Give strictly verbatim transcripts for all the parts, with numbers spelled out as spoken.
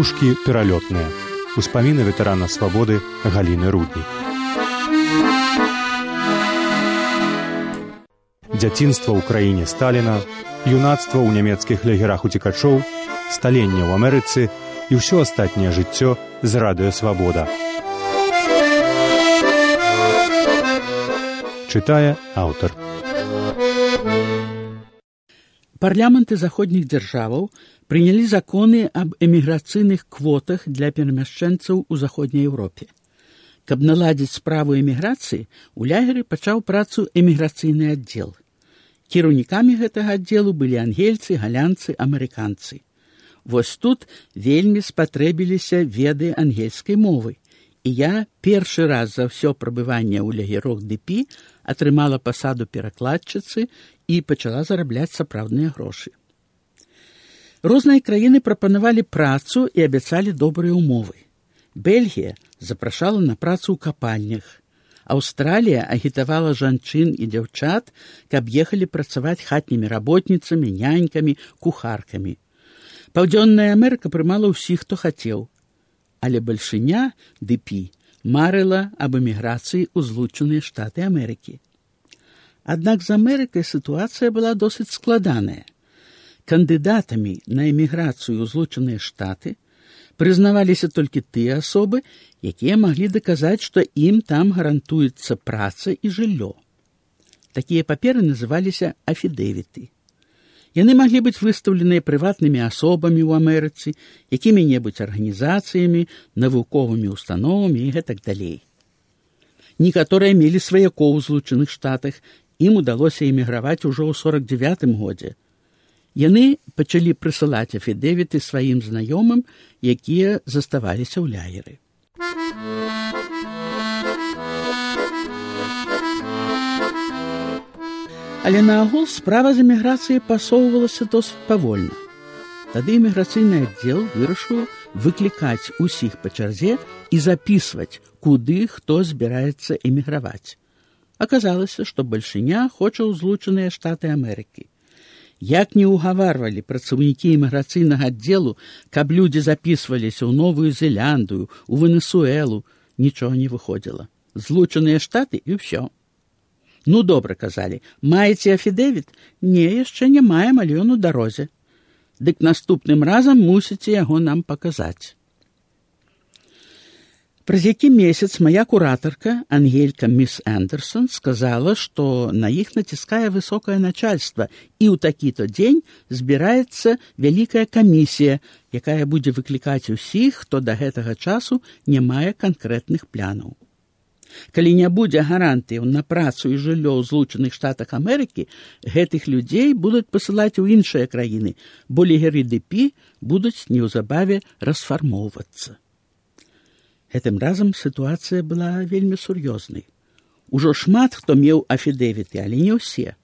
Птушкі пералётныя. Успаміны ветэрана свабоды Галіны Руднік. Дзяцінства ў краіне Сталіна, юнацтва ў нямецкіх лагерах уцекачоў, сталенне ў Амерыцы і ўсё астатняе жыццё з радыё «Свабода». Чытае аўтар. Парламенты заходніх дзяржаваў прынялі законы аб эміграцыйных квотах для перамяшчэнцаў у заходняй Еўропе. Каб наладзіць справу эміграцыі, у лагеры пачаў працу эміграцыйны аддзел. Кіраўнікамі гэтага аддзелу былі ангельцы, галянцы, амерыканцы. Вось тут вельмі спатрэбіліся веды ангельскай мовы, і я першы раз за ўсё прабыванне ў лагерах ді пі атрымала пасаду перакладчыцы і пачала зарабляць сапраўдныя грошы. Розныя краіны прапанавалі працу і абяцалі добрыя ўмовы. Бельгія запрашала на працу ў капальнях. Аўстралія агітавала жанчын і дзяўчат, каб ехалі працаваць хатнімі работніцамі, нянькамі, кухаркамі. Паўдзённая Амерыка прымала ўсіх, хто хацеў. Але бальшыня ді пі марыла аб эміграцыі ў Злучаныя Штаты Амерыкі. Аднак з Амерыкай сітуацыя была досыць складаная. Кандыдатамі на эміграцыю ў Злучаныя Штаты прызнаваліся толькі тыя асобы, якія маглі даказаць, што ім там гарантуецца праца і жыллё. Такія паперы называліся афідэвіты. Яны маглі быць выстаўленыя прыватнымі асобамі ў Амерыцы, якімі-небудзь арганізацыямі, навуковымі установамі і гэтак далей. Некаторыя мелі сваякоў у Злучаных Штатах, ім удалося эміграваць ужо ў сорак дзявятым годзе. Яны пачалі прысылаць афідэвіты сваім знаёмым, якія заставаліся ў лагеры. Але наогул справа з эміграцыяй пасоўвалася досыць павольна. Тады эміграцыйны аддзел вырашыў выклікаць усіх па чарзе і запісваць, куды хто збіраецца эміграваць. Аказалася, што бальшыня хоча ў Злучаныя Штаты Амерыкі. Як не ўгаварвалі працаўнікі эміграцыйнага аддзелу, каб людзі запісваліся ў Новую Зеландыю, у Венесуэлу, нічога не выходзіла. Злучаныя Штаты і ўсё. Ну, добра, казалі, маеце афідэвіт? Не, яшчэ не маем, але ён у дарозе. Дык наступным разам мусіце яго нам паказаць. Праз які месяц мая куратарка, ангелька міс Андерсон, сказала, што на іх націскае высокае начальства, і ў такі-то дзень збіраецца вялікая камісія, якая будзе выклікаць усіх, хто да гэтага часу не мае канкрэтных планаў. Калі не будзе гарантыяў на працу і жыллё ў Злучаных Штатах Амерыкі, гэтых людзей будуць пасылаць у іншыя краіны, бо лагеры ді пі будуць неўзабаве расфармоўвацца. Гэтым разам сітуацыя была вельмі сур'ёзнай. Ужо шмат хто меў афідэвіты, але не ўсе.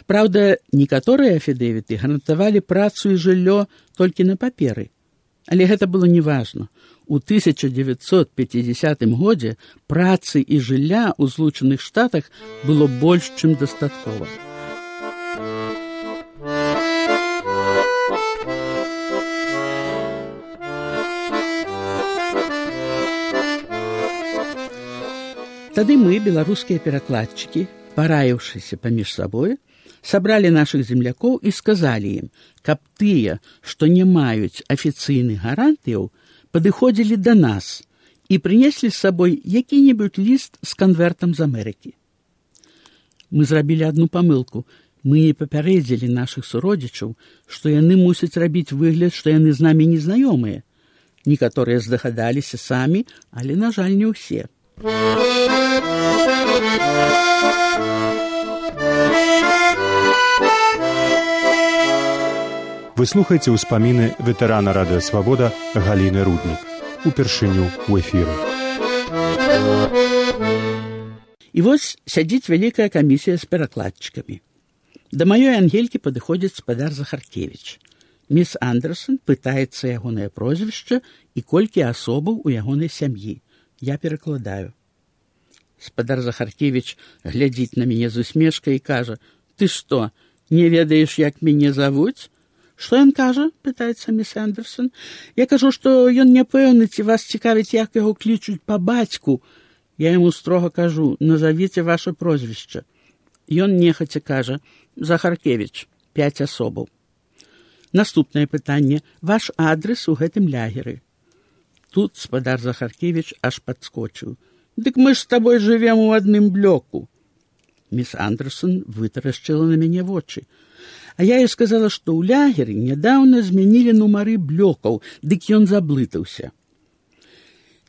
Праўда, некаторыя афідэвіты гарантавалі працу і жыллё толькі на паперы. Але гэта было неважна. У тысяча дзевяцьсот пяцідзясятым годзе працы і жылля ў Злучаных Штатах было больш, чым дастаткова. Тады мы, беларускія перакладчыкі, параіўшыся паміж сабой, сабралі нашых землякоў і сказалі ім, каб тыя, што не маюць афіцыйных гарантыяў, падыходзілі да нас і прынеслі з сабой які-небудзь ліст з канвертам з Амерыкі. Мы зрабілі адну памылку. Мы не папярэдзілі нашых суродзічаў, што яны мусяць рабіць выгляд, што яны з намі незнаёмыя. Некаторыя здагадаліся самі, але, на жаль, не ўсе. Вы слухаеце ўспаміны ветэрана радыё «Свабода» Галіны Руднік. Упершыню ў эфіры. І вось сядзіць вялікая камісія з перакладчыкамі. Да маёй ангелькі падыходзіць спадар Захаркевіч. Міс Андерсон пытаецца ягонае прозвішча і колькі асобаў у ягонай сям'і. Я перакладаю. Спадар Захаркевіч глядзіць на мяне з усмешкай і кажа: «Ты што, не ведаеш, як мяне завуць? «Што ён кажа?» – пытаецца міс Андерсон. «Я кажу, што ён няпэўны, ці вас цікавіць, як яго клічуць па бацьку. Я яму строга кажу, назавіце ваше прозвішча. Ён нехаця кажа, Захаркевіч, пяць асобаў. Наступнае пытанне. Ваш адрес у гэтым лягеры?» Тут спадар Захаркевіч аж падскочыў. «Дык мы ж з табой жывем у адным блоку». Міс Андерсон вытарашчыла на мяне вочы. А я ёй сказала, што ў лягеры нядаўна змянілі нумары блокаў, дык ён заблытаўся.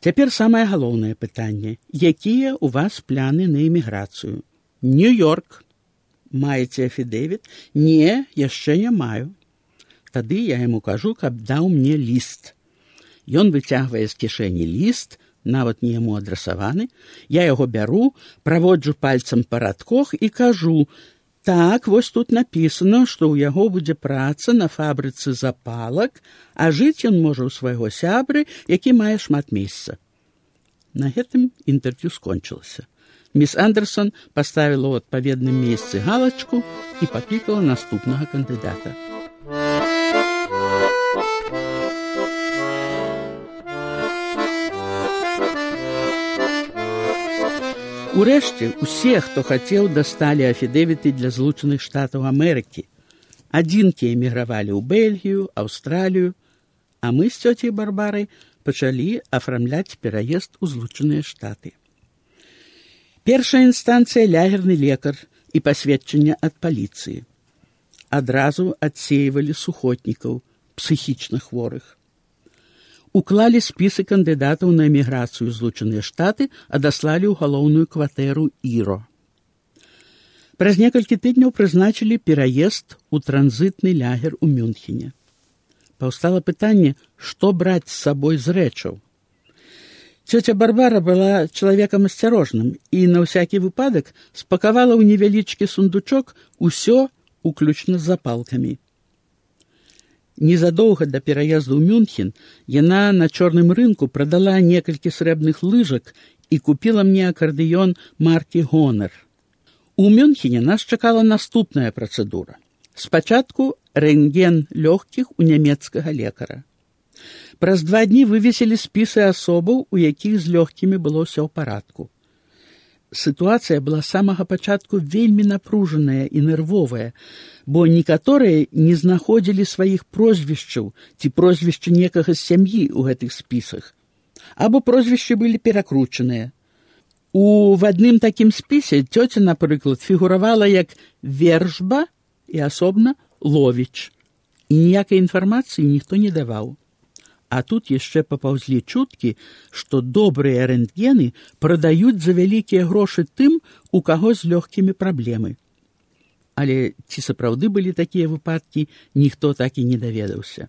Цяпер самае галоўнае пытанне. Якія ў вас пляны на эміграцыю? Нью-Йорк. Маеце афідэвіт? Не, яшчэ не маю. Тады я яму кажу, каб даў мне ліст. Ён выцягвае з кішэні ліст, нават не яму адрасаваны. Я яго бяру, праводжу пальцам па радках і кажу: «Так, вось тут напісана, што ў яго будзе праца на фабрыцы запалак, а жыць ён можа ў свайго сябры, які мае шмат месца». На гэтым інтэрв'ю скончылася. Міс Андерсон паставіла ў адпаведным месцы галачку і паклікала наступнага кандыдата. Урэшце, усе, хто хацеў, дасталі афідэвіты для Злучаных Штатаў Амерыкі. Адзінкі эмігравалі ў Бельгію, Аўстралію, а мы з цёцяй Барбарай пачалі афармляць пераезд у Злучаныя Штаты. Першая інстанцыя — лягерны лекар і пасведчанне ад паліцыі. Адразу адсеивалі сухотнікаў, псіхічна хворых. Уклалі спісы кандыдатаў на эміграцыю ў Злучаныя Штаты, адаслалі ў галоўную кватэру Іро. Праз некалькі тыдняў прызначылі пераезд у транзітны лягер у Мюнхене. Паўстала пытанне, што браць з сабой з рэчаў. Цёця Барбара была чалавекам асцярожным і на ўсякі выпадак спакавала ў невялічкі сундучок усё, уключна з запалкамі. Незадоўга да пераезду ў Мюнхен яна на чорным рынку прадала некалькі срэбных лыжак і купіла мне акардэён маркі «Гонар». У Мюнхене нас чакала наступная працэдура. Спачатку рэнтген лёгкіх у нямецкага лекара. Праз два дні вывесілі спісы асобаў, у якіх з лёгкімі было ўсё ў парадку. Сітуацыя была з самага пачатку вельмі напружаная і нервовая, бо некаторыя не знаходзілі сваіх прозвішчаў ці прозвішча некага з сям'і ў гэтых спісах, або прозвішчы былі перакручаныя. У в адным такім спісе цёця, напрыклад, фігуравала як Вершба і асобна Ловіч, і ніякай інфармацыі ніхто не даваў. А тут яшчэ папаўзлі чуткі, што добрыя рэнтгены прадаюць за вялікія грошы тым, у каго з лёгкімі праблемы. Але ці сапраўды былі такія выпадкі, ніхто так і не даведаўся.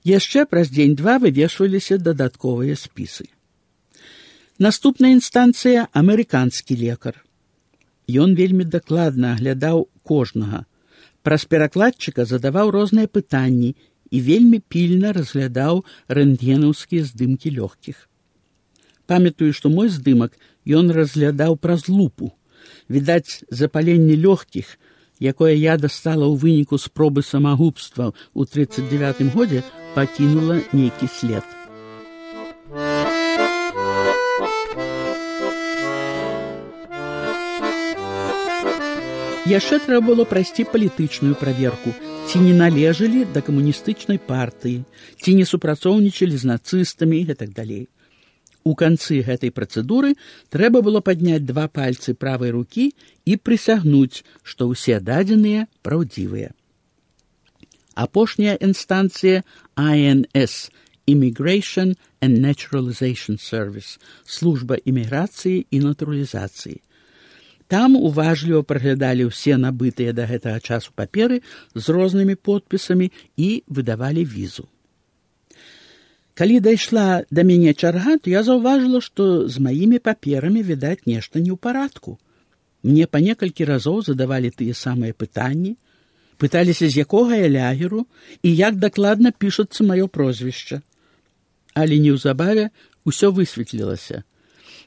Яшчэ праз дзень-два вывешваліся дадатковыя спісы. Наступная інстанцыя — амерыканскі лекар. Ён вельмі дакладна аглядаў кожнага. Праз перакладчыка задаваў розныя пытанні і вельмі пільна разглядаў рэнтгенаўскія здымкі лёгкіх. Памятаю, што мой здымак ён разглядаў праз лупу. Відаць, запаленне лёгкіх, якое я дастала ў выніку спробы самагубства ў трыццаць дзевятым годзе, пакінула нейкі след. Яшчэ трэба было прайсці палітычную праверку, ці не належалі да камуністычнай партыі, ці не супрацоўнічалі з нацыстамі і так далей. У канцы гэтай працэдуры трэба было падняць два пальцы правай рукі і прысягнуць, што ўсе дадзеныя праўдзівыя. Апошняя інстанцыя I N S – Immigration and Naturalization Service – служба іміграцыі і натуралізацыі. Там уважліва праглядалі ўсе набытыя да гэтага часу паперы з рознымі подпісамі і выдавалі візу. Калі дайшла да мяне чарга, то я заўважыла, што з маімі паперамі, відаць, нешта не ў парадку. Мне па некалькі разоў задавалі тыя самыя пытанні, пыталіся, з якога я лягеру і як дакладна пішацца маё прозвішча. Але неўзабаве ўсё высветлілася.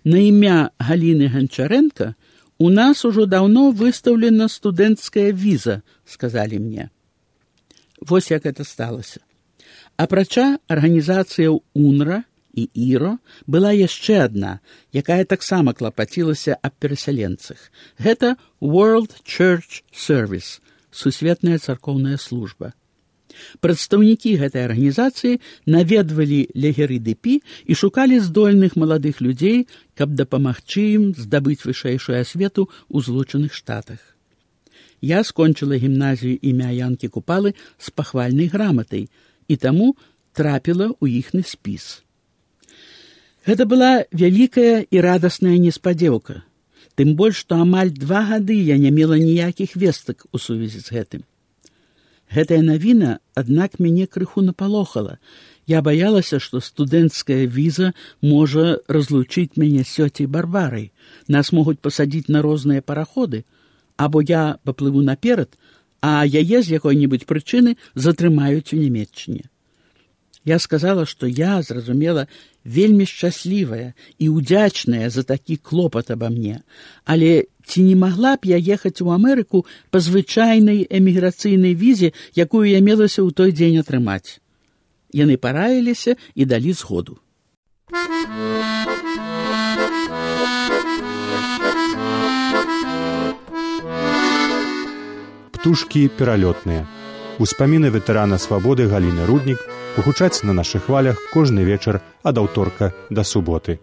На імя Галіны Ганчарэнка у нас ужо даўно выстаўлена студэнцкая віза, сказалі мне. вось як гэта сталася. Апрача арганізацыяў УНРА і ІРО была яшчэ адна, якая таксама клапацілася аб перасяленцах. Гэта World Church Service, сусветная царкоўная служба. Прадстаўнікі гэтай арганізацыі наведвалі лагеры ДП і шукалі здольных маладых людзей, каб дапамагчы ім здабыць вышэйшую асвету ў Злучаных Штатах. Я скончыла гімназію імя Янкі Купалы з пахвальнай граматай і таму трапіла ў іхны спіс. Гэта была вялікая і радасная неспадзеўка, тым больш, што амаль два гады я не мела ніякіх вестак у сувязі з гэтым. Гэтая навіна, аднак, мяне крыху напалохала. Я баялася, што студэнцкая віза можа разлучыць мяне з цёцяй Барбарай. Нас могуць пасадзіць на розныя параходы, або я паплыву наперад, а яе з якой-небудзь прычыны затрымаюць у Нямецчыне. Я сказала, што я, зразумела, вельмі шчаслівая і ўдзячная за такі клопат аба мне, але ці не магла б я ехаць у Амерыку па звычайнай эміграцыйнай візе, якую я мелася ў той дзень атрымаць. Яны параіліся і далі згоду. Птушкі пералётныя. Успаміны ветэрана свабоды Галіны Руднік гучаць на нашых хвалях кожны вечар ад аўторка да суботы.